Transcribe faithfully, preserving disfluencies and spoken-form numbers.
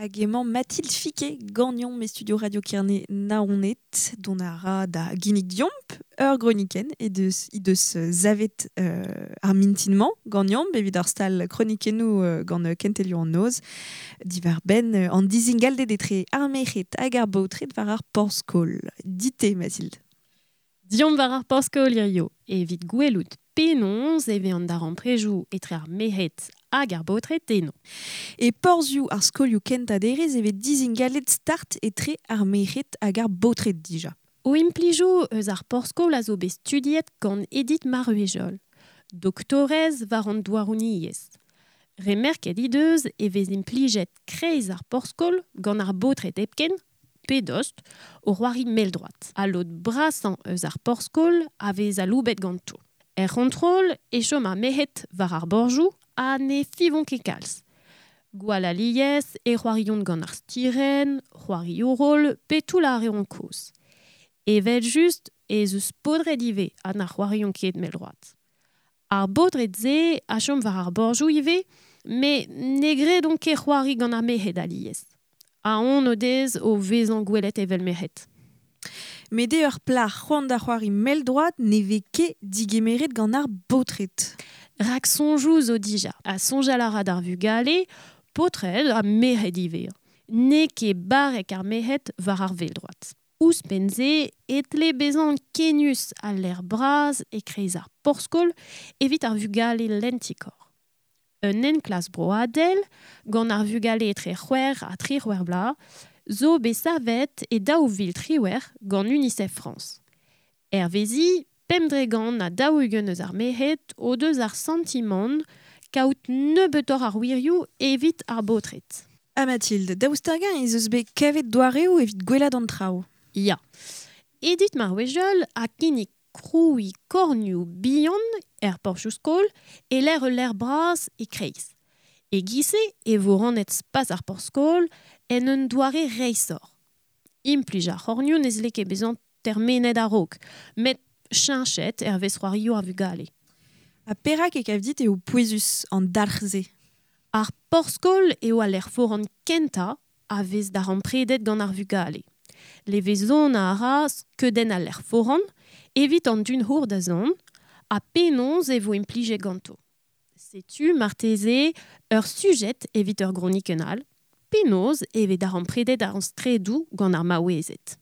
Hag emañ Mathilde Fiquet, gagnon me studio Radio Kerne Naoned, dont a ra da ginnig diomp, ur groniken, e deus, i deus zavet euh, ar mintinman gagnon, evit ar stal kronikennou euh, gant kentelio an noz, divar ben euh, an dizingaldet etre ar merc'hed hag ar baotred war ar porzh-skol. Dite, Mathilde. Diomp war ar porzh-skol hirio, evit gwelout penaos e vez an darempredoù etre ar merc'hed hag ar baotred eno. E porzhioù ar skolioù kentañ derez e vez dizingalet start etre ar merc'hed hag ar baotred dija. O implijoù eus ar porzh-skol a zo bet studiet gant Edith Maruejol, doktorez war an douaroniezh. Remerket he deus e vez implijet kreiz ar porzh-skol gant ar baotred hepken, pe dost, o c'hoari mell-droad. Ha lod brasañ eus ar porzh-skol a vez aloubet ganto. Er c'hontrol e chom ar merc'hed war ar borjoù ha ne fivont ket kalz. Gwall alies e c'hoariont gant ar stirenn, c'hoarioù rol pe toull ar reont kozh. Evel just ez eus paotred ivez ha na c'hoariont ket mell-droad. Ar baotred-se a chom war ar borjoù ivez, met ne gredont ket c'hoari gant ar merc'hed alies. Aon o dez o vezañ gwelet evel merc'hed. Met eo ur plac'h c'hoant da c'hoari mell-droad ne vez ket digemeret gant ar baotred. Rak soñjoù zo dija, ha soñjal a ra d'ar vugale, paotred ha merc'hed ivez. N'eo ket barrek ar merc'hed war ar vell-droad. Ouzhpenn-se e tle bezañ kennus al lec'h bras e-kreiz ar porzh-skol evit ar vugale lentikor. Un enklask broadel gant ar vugale etre c'hwec'h ha triwec'h vloaz zo bet savet e daou vil triwec'h gant UNICEF France. Hervezi, pemp dre gant ha daou-ugent eus ar merc'hed o deus ar santimant kaout nebeutoc'h ar wirioù evit ar baotred. Ha Mathilde, daoust hag-eñ ez eus bet kavet doareoù evit gwellaat an traoù? Ya. Edith Maruejol a kinnig krouiñ kornioù bihan er porzhioù-skol e lec'h ul lec'h bras e-kreiz. E-giz-se e vo rannet spas ar porzh-skol en un doare reishoc'h. Implij ar c'hornioù ne zle ket bezañ termenet a-raok, met cheñchet hervez c'hoarioù ar vugale. Ha perak e kav dit eo pouezus an dalc'h-se? Ar porzh-skol eo al lec'h foran kentañ a vez darempredet gant ar vugale. Levezon a ra skeudenn al lec'h foran evit an dud da zont ha penaos e vo implijet ganto. Setu marteze ur sujet evit ur gronikenn all, penaos e vez darempredet ar straedoù gant ar maouezed.